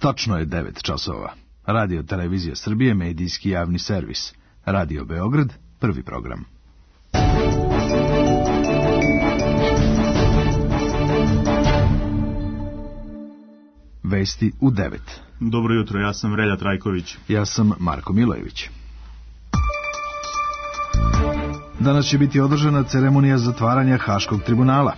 Točno je 9 časova. Radio Televizija Srbije, medijski javni servis. Radio Beograd, prvi program. Vesti u 9. Dobro jutro, ja sam Relja Trajković. Ja sam Marko Milojević. Danas će biti održana ceremonija zatvaranja Haškog tribunala.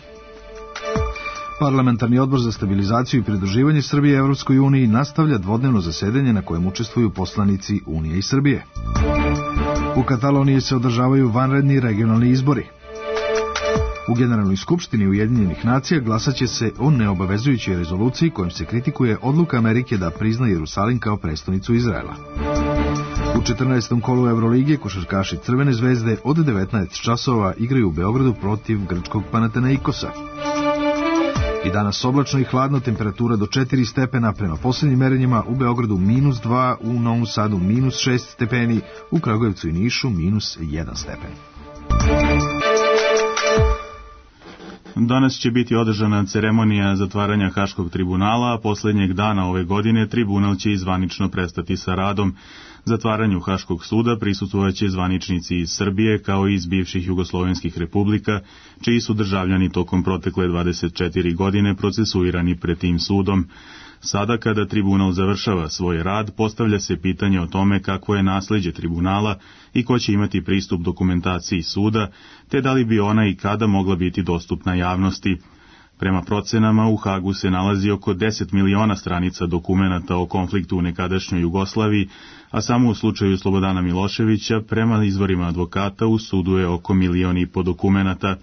Parlamentarni odbor za stabilizaciju i pridruživanje Srbije Evropskoj uniji nastavlja dvodnevno zasedanje na kojem učestvuju poslanici Unije i Srbije. U Kataloniji se održavaju vanredni regionalni izbori. U Generalnoj skupštini Ujedinjenih nacija glasat će se o neobavezujućoj rezoluciji kojom se kritikuje odluka Amerike da prizna Jerusalim kao prestonicu Izraela. U 14. kolu Evrolige košarkaši Crvene zvezde od 19 časova igraju u Beogradu protiv grčkog Panathinaikosa. I danas oblačno i hladno, temperatura do 4 stepena, prema posljednjim merenjima u Beogradu -2, u Novom Sadu -6 stepeni, u Kragujevcu i Nišu -1 stepen. Danas će biti održana ceremonija zatvaranja Haškog tribunala, a posljednjeg dana ove godine tribunal će i zvanično prestati sa radom. Zatvaranju Haškog suda prisustvovaće zvaničnici iz Srbije kao i iz bivših jugoslovenskih republika, čiji su državljani tokom protekle 24 godine procesuirani pred tim sudom. Sada, kada tribunal završava svoj rad, postavlja se pitanje o tome kakvo je nasleđe tribunala i ko će imati pristup dokumentaciji suda, te da li bi ona i kada mogla biti dostupna javnosti. Prema procenama, u Hagu se nalazi oko 10 miliona stranica dokumenata o konfliktu u nekadašnjoj Jugoslaviji, a samo u slučaju Slobodana Miloševića, prema izvorima advokata, u sudu je oko 1,5 miliona dokumenata.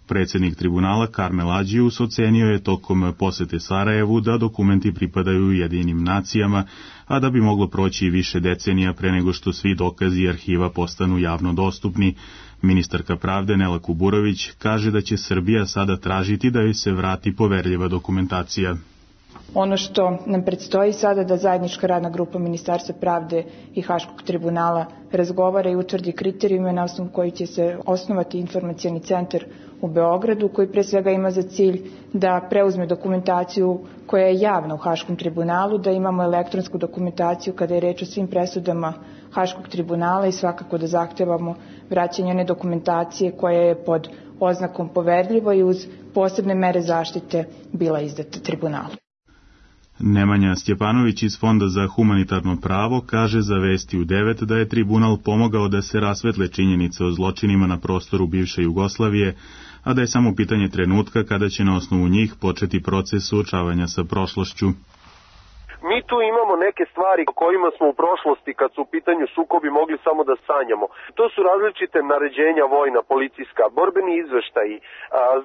Predsjednik tribunala Karmel Adžius ocenio je tokom posete Sarajevu da dokumenti pripadaju Ujedinjenim nacijama, a da bi moglo proći više decenija pre nego što svi dokazi i arhiva postanu javno dostupni. Ministarka pravde Nela Kuburović kaže da će Srbija sada tražiti da joj se vrati poverljiva dokumentacija. Ono što nam predstoji sada da zajednička radna grupa Ministarstva pravde i Haškog tribunala razgovara i utvrdi kriterijume na osnovu koji će se osnovati informacioni centar u Beogradu, koji pre svega ima za cilj da preuzme dokumentaciju koja je javna u Haškom tribunalu, da imamo elektronsku dokumentaciju kada je reč o svim presudama Haškog tribunala i svakako da zahtevamo vraćanje one dokumentacije koja je pod oznakom poverljivo i uz posebne mere zaštite bila izdata tribunalu. Nemanja Stjepanović iz Fonda za humanitarno pravo kaže za Vesti u 9 da je tribunal pomogao da se rasvetle činjenice o zločinima na prostoru bivše Jugoslavije, a da je samo pitanje trenutka kada će na osnovu njih početi proces suočavanja sa prošlošću. Mi tu imamo neke stvari o kojima smo u prošlosti, kad su u pitanju sukobi, mogli samo da sanjamo. To su različite naređenja vojna, policijska, borbeni izveštaji,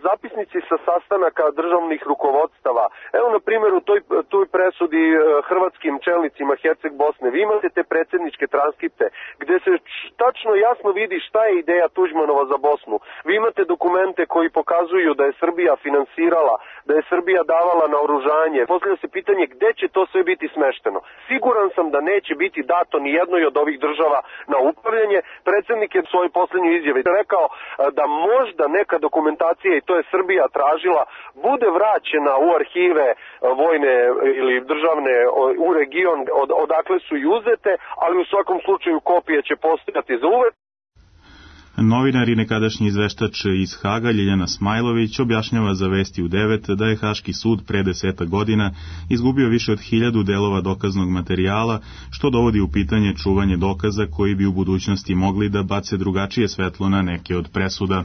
zapisnici sa sastanaka državnih rukovodstava. Evo, na primjer, u toj presudi hrvatskim čelnicima Herceg Bosne, vi imate te predsjedničke transkripte, gde se tačno jasno vidi šta je ideja Tuđmanova za Bosnu. Vi imate dokumente koji pokazuju da je Srbija finansirala, da je Srbija davala naoružanje. Postavlja se pitanje gde će to sve biti smešteno. Siguran sam da neće biti dato ni jednoj od ovih država na upravljanje. Predsjednik je u svojoj posljednjoj izjavi rekao da možda neka dokumentacija, i to je Srbija tražila, bude vraćena u arhive vojne ili državne u region odakle su i uzete, ali u svakom slučaju kopije će postojati za uvek. Novinar i nekadašnji izveštač iz Haga Ljiljana Smajlović objašnjava za Vesti u 9 da je Haški sud pre 10 godina izgubio više od 1000 delova dokaznog materijala, što dovodi u pitanje čuvanje dokaza koji bi u budućnosti mogli da bace drugačije svetlo na neke od presuda.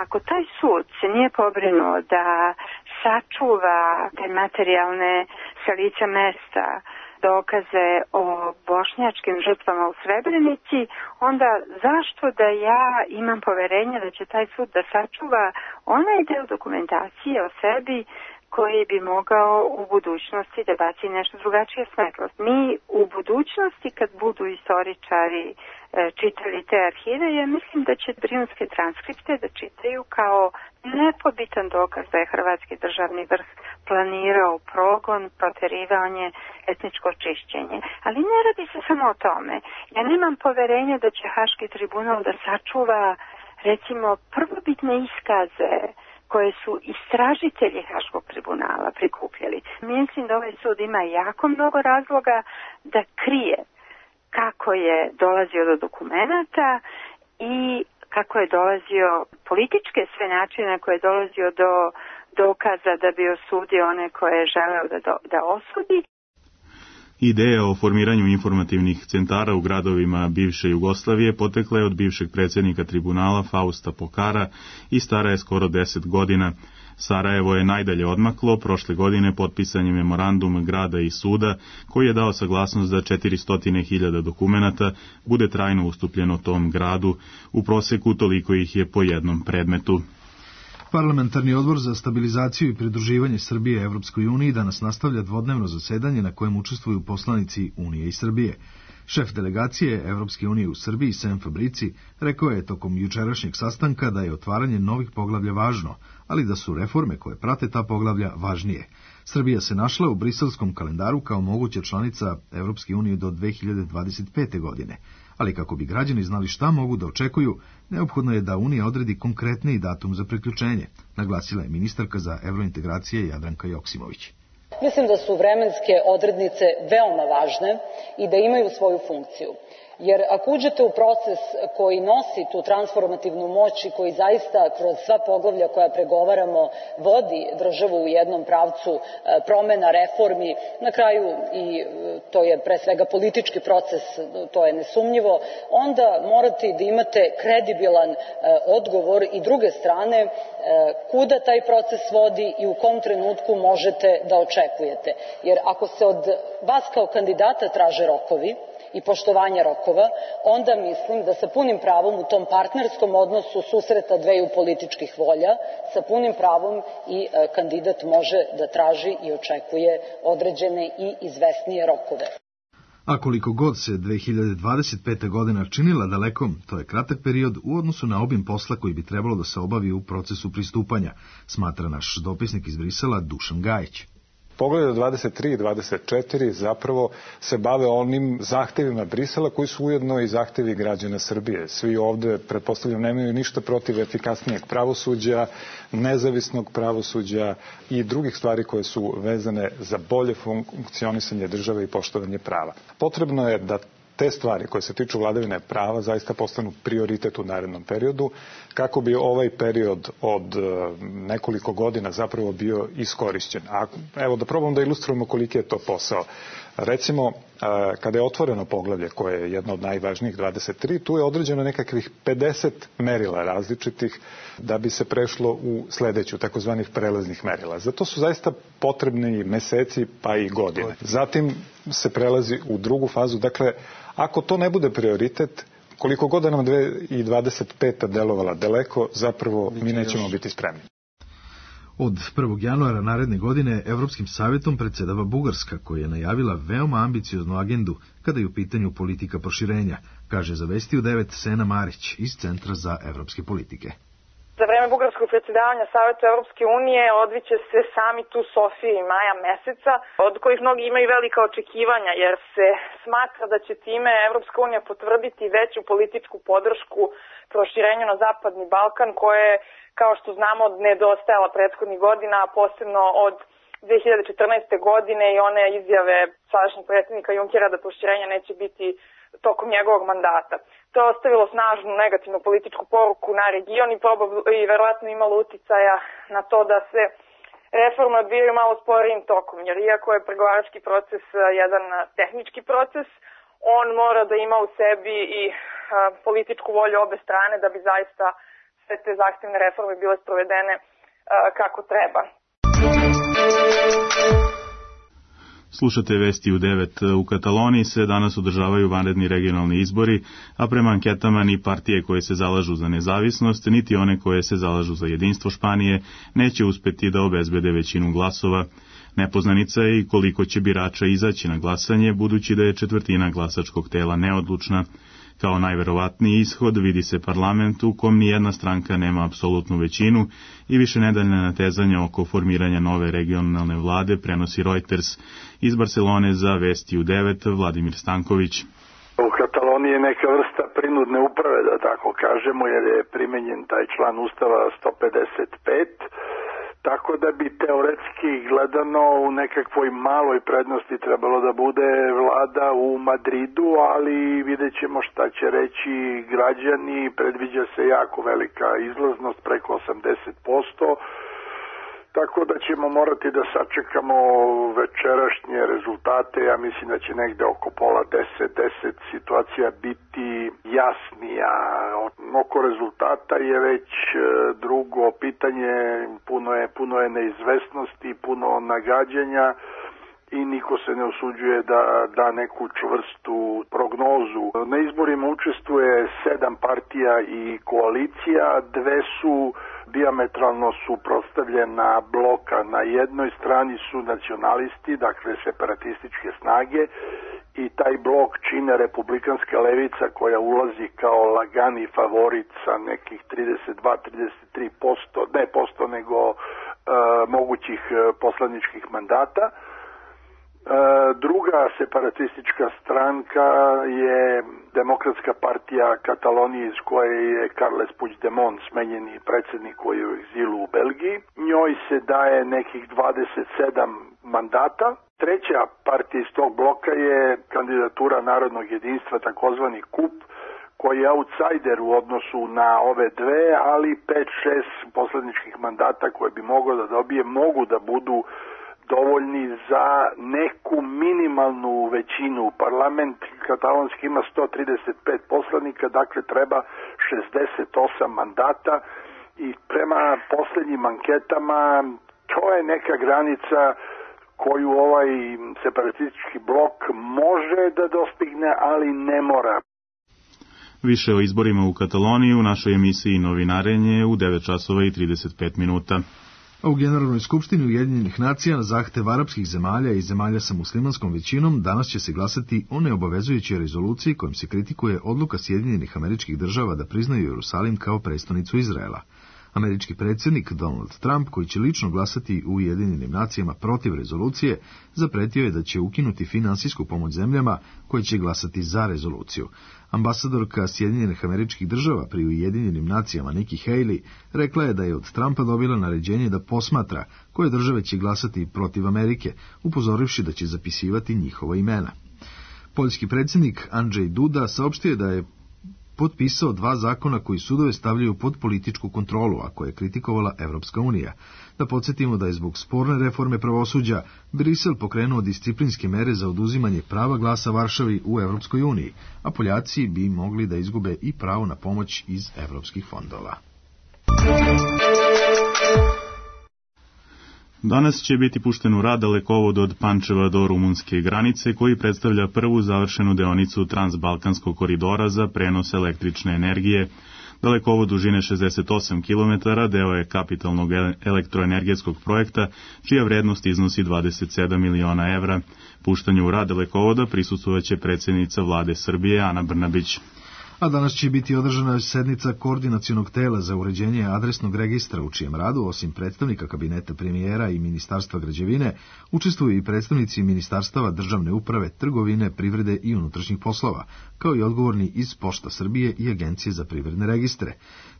Ako taj sud se nije pobrinuo da sačuva te materijalne sa lica mesta dokaze o bošnjačkim žrtvama u Srebrenici, onda zašto da ja imam poverenje da će taj sud da sačuva onaj deo dokumentacije o sebi koji bi mogao u budućnosti da baci nešto drugačije svetlost. Mi u budućnosti, kad budu istoričari čitali te arhive, ja mislim da će brijunske transkripte da čitaju kao nepobitan dokaz da je hrvatski državni vrh planirao progon, proterivanje, etničko čišćenje. Ali ne radi se samo o tome. Ja nemam poverenja da će Haški tribunal da sačuva, recimo, prvobitne iskaze koje su istražitelji Haškog tribunala prikupljali. Mislim da ovaj sud ima jako mnogo razloga da krije kako je dolazio do dokumenata i kako je dolazio političke sve načine koje je dolazio do dokaza da bi osudio one koje je želeo da osudi. Ideja o formiranju informativnih centara u gradovima bivše Jugoslavije potekla je od bivšeg predsjednika tribunala Fausta Pokara i stara je skoro 10 godina. Sarajevo je najdalje odmaklo, prošle godine potpisan je memorandum grada i suda koji je dao saglasnost da 400.000 dokumenata bude trajno ustupljeno tom gradu, u proseku toliko ih je po jednom predmetu. Parlamentarni odbor za stabilizaciju i pridruživanje Srbije Evropskoj uniji danas nastavlja dvodnevno zasedanje na kojem učestvuju poslanici Unije i Srbije. Šef delegacije Evropske unije u Srbiji, Sem Fabrici, rekao je tokom jučerašnjeg sastanka da je otvaranje novih poglavlja važno, ali da su reforme koje prate ta poglavlja važnije. Srbija se našla u briselskom kalendaru kao moguća članica Evropske unije do 2025. godine, ali kako bi građani znali šta mogu da očekuju, neophodno je da Unija odredi konkretniji datum za priključenje, naglasila je ministarka za evrointegracije Jadranka Joksimović. Mislim da su vremenske odrednice veoma važne i da imaju svoju funkciju. Jer ako uđete u proces koji nosi tu transformativnu moć i koji zaista kroz sva poglavlja koja pregovaramo vodi državu u jednom pravcu promena, reformi, na kraju i to je pre svega politički proces, to je nesumnjivo, onda morate da imate kredibilan odgovor i druge strane kuda taj proces vodi i u kom trenutku možete da očekujete. Jer ako se od vas kao kandidata traže rokovi i poštovanja rokova, onda mislim da sa punim pravom u tom partnerskom odnosu susreta dveju političkih volja, sa punim pravom i kandidat može da traži i očekuje određene i izvesnije rokove. A koliko god se 2025. godina činila dalekom, to je kratak period u odnosu na obim posla koji bi trebalo da se obavi u procesu pristupanja, smatra naš dopisnik iz Brisela Dušan Gajić. Poglavlja 23 i 24 zapravo se bave onim zahtevima Brisela koji su ujedno i zahtevi građana Srbije. Svi ovde, pretpostavljam, nemaju ništa protiv efikasnijeg pravosuđa, nezavisnog pravosuđa i drugih stvari koje su vezane za bolje funkcionisanje države i poštovanje prava. Potrebno je da te stvari koje se tiču vladavine prava zaista postanu prioritet u narednom periodu, kako bi ovaj period od nekoliko godina zapravo bio iskorišćen. A evo da probam da ilustrujemo koliki je to posao. Recimo, kada je otvoreno poglavlje, koje je jedno od najvažnijih, 23, tu je određeno nekakvih 50 merila različitih da bi se prešlo u sledeću, takozvanih prelaznih merila. Zato su zaista potrebni meseci pa i godine. Zatim se prelazi u drugu fazu. Dakle, ako to ne bude prioritet, koliko god da nam 2025. delovala daleko, zapravo mi nećemo biti spremni. Od 1. januara naredne godine Evropskim savjetom predsjedava Bugarska, koja je najavila veoma ambicioznu agendu kada je u pitanju politika proširenja, kaže za Vesti u 9 Sena Marić iz Centra za evropske politike. Za vreme bugarskog predsjedavanja Savjeta Evropske unije odviće se samit u Sofiji maja meseca, od kojih mnogi imaju velika očekivanja, jer se smatra da će time Evropska unija potvrditi veću političku podršku proširenju na Zapadni Balkan, koje, kao što znamo, nedostajala prethodnih godina, a posebno od 2014. godine i one izjave sadašnjeg predsjednika Junckera da proširenja neće biti tokom njegovog mandata. To je ostavilo snažnu negativnu političku poruku na region i verovatno imalo uticaja na to da se reforme odvijaju malo sporijim tokom, jer iako je pregovarački proces jedan tehnički proces, on mora da ima u sebi i političku volju obe strane da bi zaista sve te zahtevne reforme bile sprovedene kako treba. Slušate Vesti u 9. U Kataloniji se danas održavaju vanredni regionalni izbori, a prema anketama ni partije koje se zalažu za nezavisnost, niti one koje se zalažu za jedinstvo Španije, neće uspeti da obezbede većinu glasova. Nepoznanica je i koliko će birača izaći na glasanje, budući da je četvrtina glasačkog tela neodlučna. Kao najverovatniji ishod vidi se parlament u kom nijedna stranka nema apsolutnu većinu i višenedeljna natezanja oko formiranja nove regionalne vlade prenosi Reuters. Iz Barcelone za Vesti u 9, Vladimir Stanković. U Kataloniji je neka vrsta prinudne uprave, da tako kažemo, jer je primenjen taj član Ustava 155, tako da bi teoretski gledano u nekakvoj maloj prednosti trebalo da bude vlada u Madridu, ali vidjet ćemo šta će reći građani. Predviđa se jako velika izlaznost, preko 80%, tako da ćemo morati da sačekamo večerašnje rezultate. Ja mislim da će negde oko pola 10 situacija biti jasnija. Oko rezultata je već drugo pitanje, puno je neizvesnosti, puno nagađanja i niko se ne usuđuje da da neku čvrstu prognozu. Na izborima učestvuje 7 partija i koalicija, 2 su dijametralno suprotstavljena bloka. Na jednoj strani su nacionalisti, dakle separatističke snage, i taj blok čine republikanska levica koja ulazi kao lagani favorit sa nekih 32-33%, ne posto nego mogućih poslaničkih mandata. Druga separatistička stranka je Demokratska partija Katalonije, iz koje je Carles Puigdemont, smenjeni predsjednik koji je u egzilu u Belgiji. Njoj se daje nekih 27 mandata. Treća partija iz tog bloka je kandidatura Narodnog jedinstva, takozvani KUP, koji je outsider u odnosu na ove dve, ali 5-6 poslaničkih mandata koje bi mogao da dobije mogu da budu dovoljni za neku minimalnu većinu. Parlament katalonski ima 135 poslanika, dakle treba 68 mandata i prema posljednjim anketama to je neka granica koju ovaj separatistički blok može da dostigne, ali ne mora. Više o izborima u Kataloniji u našoj emisiji Novinarenje u 9:35. A u Generalnoj skupštini Ujedinjenih nacija na zahtev arapskih zemalja i zemalja sa muslimanskom većinom danas će se glasati o neobavezujućoj rezoluciji kojom se kritikuje odluka Sjedinjenih Američkih Država da priznaju Jerusalim kao prestonicu Izraela. Američki predsjednik Donald Trump, koji će lično glasati u Ujedinjenim nacijama protiv rezolucije, zapretio je da će ukinuti finansijsku pomoć zemljama koje će glasati za rezoluciju. Ambasadorka Sjedinjenih Američkih Država pri Ujedinjenim nacijama Nikki Haley rekla je da je od Trumpa dobila naređenje da posmatra koje države će glasati protiv Amerike, upozorivši da će zapisivati njihova imena. Poljski predsjednik Andrzej Duda saopštio je da je potpisao 2 zakona koji sudove stavljaju pod političku kontrolu, a koje je kritikovala Evropska unija. Da podsjetimo da je zbog sporne reforme pravosuđa Brisel pokrenuo disciplinske mere za oduzimanje prava glasa Varšavi u Evropskoj uniji, a Poljaci bi mogli da izgube i pravo na pomoć iz evropskih fondova. Danas će biti pušten u rad dalekovod od Pančeva do rumunske granice, koji predstavlja prvu završenu deonicu Transbalkanskog koridora za prenos električne energije. Dalekovod dužine 68 km deo je kapitalnog elektroenergetskog projekta, čija vrednost iznosi 27 miliona evra. Puštanju u rad dalekovoda prisustvovaće predsjednica vlade Srbije Ana Brnabić. A danas će biti održana sednica koordinacionog tela za uređenje adresnog registra, u čijem radu, osim predstavnika kabineta premijera i Ministarstva građevine, učestvuju i predstavnici ministarstava državne uprave, trgovine, privrede i unutrašnjih poslova, kao i odgovorni iz Pošta Srbije i Agencije za privredne registre.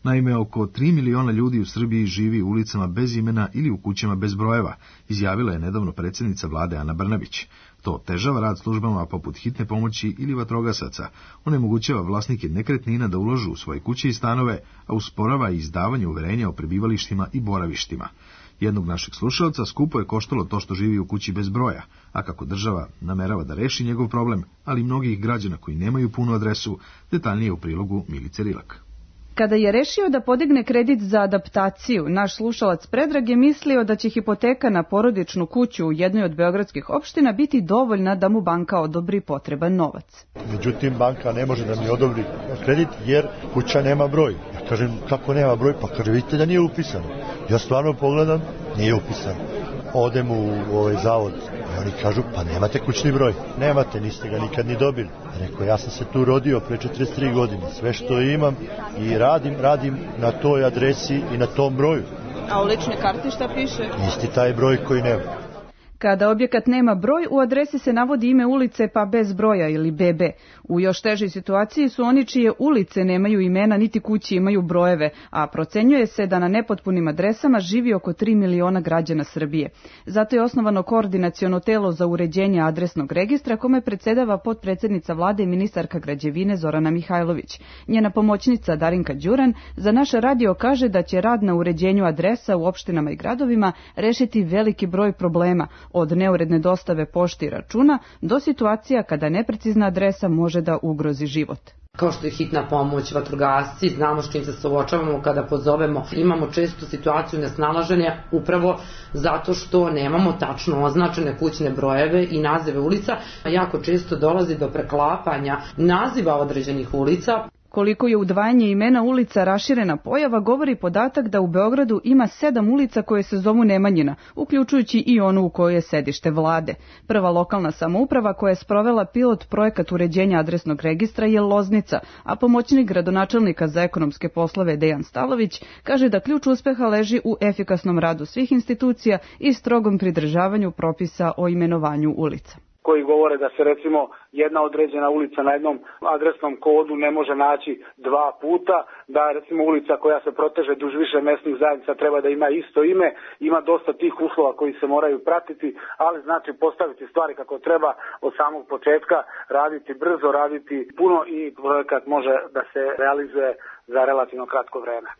Naime, oko 3 miliona ljudi u Srbiji živi u ulicama bez imena ili u kućama bez brojeva, izjavila je nedavno predsjednica vlade Ana Brnabić. To otežava rad službama poput hitne pomoći ili vatrogasaca, onemogućava vlasnike nekretnina da ulažu u svoje kuće i stanove, a usporava i izdavanje uverenja o prebivalištima i boravištima. Jednog našeg slušalca skupo je koštalo to što živi u kući bez broja, a kako država namerava da reši njegov problem, ali i mnogih građana koji nemaju punu adresu, detaljnije u prilogu Milice Rilak. Kada je rešio da podigne kredit za adaptaciju, naš slušalac Predrag je mislio da će hipoteka na porodičnu kuću u jednoj od beogradskih opština biti dovoljna da mu banka odobri potreban novac. Međutim, banka ne može da mi odobri kredit jer kuća nema broj. Ja kažem, kako nema broj? Pa kaže, vidite da nije upisano. Ja stvarno pogledam, nije upisano. Odem u zavod i oni kažu, pa nemate kućni broj. Nemate, niste ga nikad ni dobili. Rekao, ja sam se tu rodio pre 43 godine. Sve što imam i radim na toj adresi i na tom broju. A u ličnoj karti šta piše? Isti taj broj koji nema. Kada objekat nema broj, u adresi se navodi ime ulice pa bez broja ili BB. U još težoj situaciji su oni čije ulice nemaju imena niti kući imaju brojeve, a procenjuje se da na nepotpunim adresama živi oko 3 miliona građana Srbije. Zato je osnovano koordinaciono telo za uređenje adresnog registra kome predsedava potpredsednica vlade i ministarka građevine Zorana Mihajlović. Njena pomoćnica Darinka Đuran za naš radio kaže da će rad na uređenju adresa u opštinama i gradovima rešiti veliki broj problema, od neuredne dostave pošte i računa do situacija kada neprecizna adresa može da ugrozi život. Kao što je hitna pomoć, vatrogasci, znamo s čim se suočavamo kada pozovemo. Imamo često situaciju nesnalaženja upravo zato što nemamo tačno označene kućne brojeve i nazive ulica. Jako često dolazi do preklapanja naziva određenih ulica. Koliko je udvajanje imena ulica raširena pojava, govori podatak da u Beogradu ima 7 ulica koje se zovu Nemanjina, uključujući i onu u kojoj je sedište vlade. Prva lokalna samouprava koja je sprovela pilot projekat uređenja adresnog registra je Loznica, a pomoćnik gradonačelnika za ekonomske poslove Dejan Stalović kaže da ključ uspeha leži u efikasnom radu svih institucija i strogom pridržavanju propisa o imenovanju ulica. Koji govore da se recimo jedna određena ulica na jednom adresnom kodu ne može naći 2 puta, da recimo ulica koja se proteže duž više mesnih zajednica treba da ima isto ime, ima dosta tih uslova koji se moraju pratiti, ali znači postaviti stvari kako treba od samog početka, raditi brzo, raditi puno i projekat može da se realizuje za relativno kratko vreme.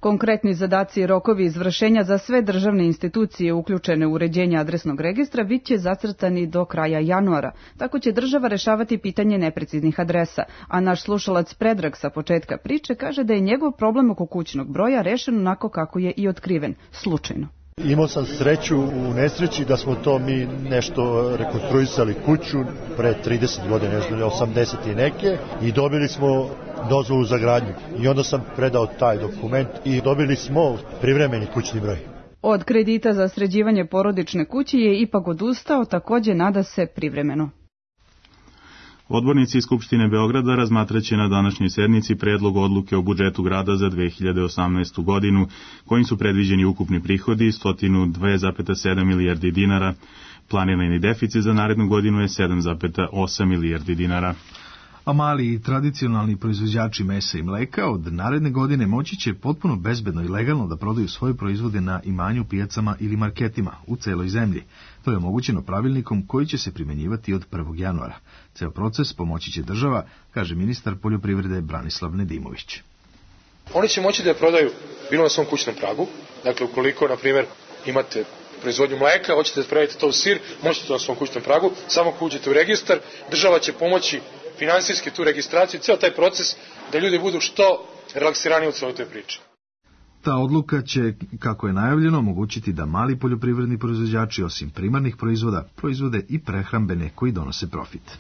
Konkretni zadaci i rokovi izvršenja za sve državne institucije uključene u uređenje adresnog registra bit će zacrtani do kraja januara. Tako će država rešavati pitanje nepreciznih adresa, a naš slušalac Predrag sa početka priče kaže da je njegov problem oko kućnog broja rešen onako kako je i otkriven, slučajno. Imao sam sreću u nesreći da smo to mi nešto rekonstruisali kuću pre 30 godina, 80 i neke, i dobili smo dozvolu za gradnju. I onda sam predao taj dokument i dobili smo privremeni kućni broj. Od kredita za sređivanje porodične kuće je ipak odustao, takođe nada se privremeno. Odbornici Skupštine Beograda razmatraće na današnjoj sednici predlog odluke o budžetu grada za 2018. godinu, kojim su predviđeni ukupni prihodi 102,7 milijardi dinara. Planirani deficit za narednu godinu je 7,8 milijardi dinara. A mali i tradicionalni proizvođači mesa i mleka od naredne godine moći će potpuno bezbedno i legalno da prodaju svoje proizvode na imanju, pijacama ili marketima u celoj zemlji. To je omogućeno pravilnikom koji će se primenjivati od 1. januara. Ceo proces pomoći će država, kaže ministar poljoprivrede Branislav Nedimović. Oni će moći da je prodaju bilo na svom kućnom pragu, dakle ukoliko, na primjer, imate proizvodnju mleka, hoćete da spravite to u sir, možete to na svom kućnom pragu, samo ako uđete u registar, država će pomoći finansijski tu registraciju, ceo taj proces da ljudi budu što relaksiraniji u celoj toj priči. Ta odluka će, kako je najavljeno, omogućiti da mali poljoprivredni proizvođači, osim primarnih proizvoda, proizvode i prehrambene koji donose profit.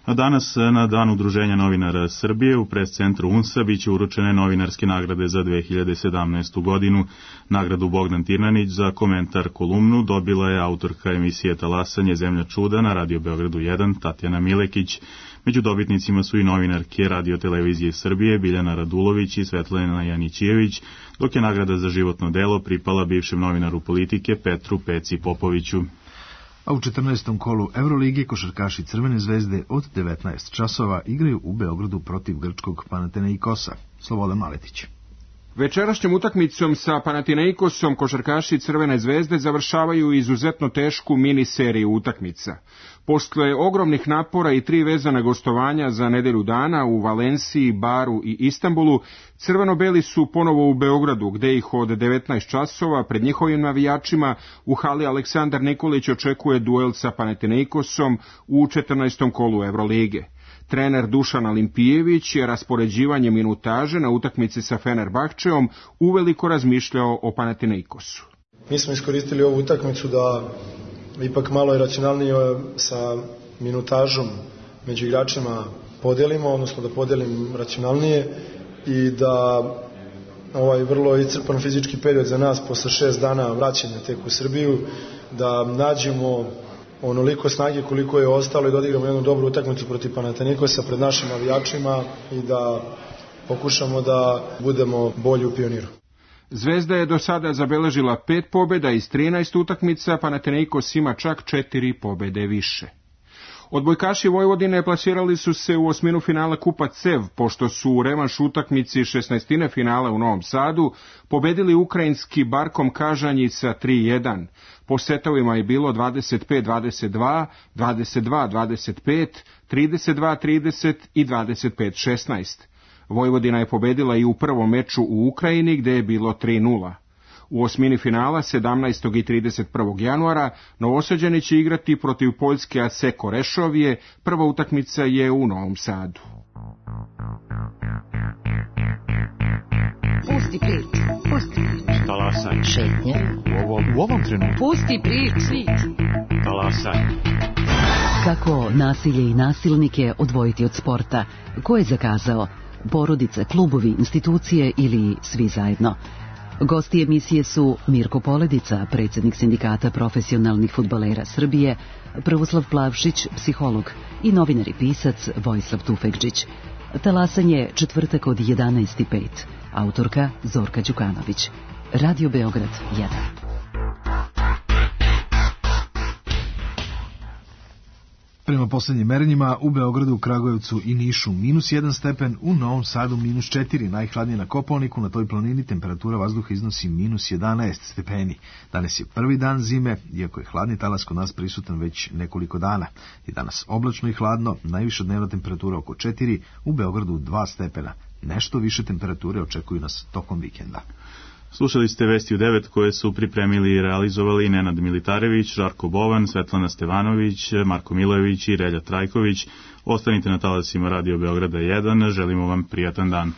A danas, na Dan udruženja novinara Srbije, u pres-centru UNS-a biće uručene novinarske nagrade za 2017. godinu. Nagradu Bogdan Tirnanić za komentar kolumnu dobila je autorka emisije Talasanje Zemlja čuda na Radio Beogradu 1, Tatjana Milekić. Među dobitnicima su i novinarke Radio Televizije Srbije, Biljana Radulović i Svetlana Janićijević, dok je nagrada za životno delo pripala bivšem novinaru Politike Petru Peci Popoviću. A u 14. kolu Evrolige košarkaši Crvene zvezde od 19 časova igraju u Beogradu protiv grčkog Panathinaikosa. Slobodan Maletić. Večerašnjom utakmicom sa Panathinaikosom košarkaši Crvene zvezde završavaju izuzetno tešku mini seriju utakmica. Posle ogromnih napora i 3 vezana gostovanja za nedelju dana u Valenciji, Baru i Istanbulu, crveno-beli su ponovo u Beogradu, gde ih od 19 časova pred njihovim navijačima u hali Aleksandar Nikolić očekuje duel sa Panathinaikosom u 14. kolu Evrolige. Trener Dušan Alimpijević je raspoređivanje minutaže na utakmici sa Fenerbahčeom uveliko razmišljao o Panathinaikosu. Mi smo iskoristili ovu utakmicu da ipak malo i racionalnije sa minutažom među igračima podelimo, odnosno da podelim racionalnije i da ovaj vrlo iscrpan fizički period za nas posle 6 dana vraćanja tek u Srbiju, da nađemo onoliko snage koliko je ostalo i da odigramo jednu dobru utakmicu protiv Panathinaikosa pred našim navijačima i da pokušamo da budemo bolji u Pioniru. Zvezda je do sada zabeležila 5 pobjeda iz 13 utakmica, Panathinaikos ima čak 4 pobjede više. Odbojkaši Vojvodine plasirali su se u osminu finala Kupa CEV, pošto su u revanš utakmici 16. finala u Novom Sadu pobedili ukrajinski Barkom Kažanjica 3-1. Po setovima je bilo 25-22, 22-25, 32-30 i 25-16. Vojvodina je pobedila i u prvom meču u Ukrajini gdje je bilo 3-0. U osmini finala 17. i 31. januara Novosađani će igrati protiv Poljske Aseko Rešovije, prva utakmica je u Novom Sadu. Pusti priču, pusti priču. Talasaj. Šetnje. U ovom trenutku. Pusti priču. Talasaj. Kako nasilje i nasilnike odvojiti od sporta? Ko je zakazao? Porodice, klubovi, institucije ili svi zajedno? Gosti emisije su Mirko Poledica, predsjednik Sindikata profesionalnih fudbalera Srbije, Prvoslav Plavšić, psiholog, i novinar i pisac Vojislav Tufekđić. Talasanje četvrtak od 11:05. Autorka Zorka Đukanović. Radio Beograd 1. Prema posljednjim merenjima u Beogradu, Kragujevcu i Nišu -1 stepen, u Novom Sadu -4, najhladnije na Kopaoniku, na toj planini temperatura vazduha iznosi -11 stepeni. Danas je prvi dan zime, iako je hladni talas kod nas prisutan već nekoliko dana. I danas oblačno i hladno, najviša dnevna temperatura oko 4, u Beogradu 2 stepena. Nešto više temperature očekuju nas tokom vikenda. Slušali ste Vesti u 9 koje su pripremili i realizovali Nenad Militarević, Žarko Bovan, Svetlana Stevanović, Marko Milojević i Relja Trajković. Ostanite na talasima Radio Beograda 1, želimo vam prijatan dan.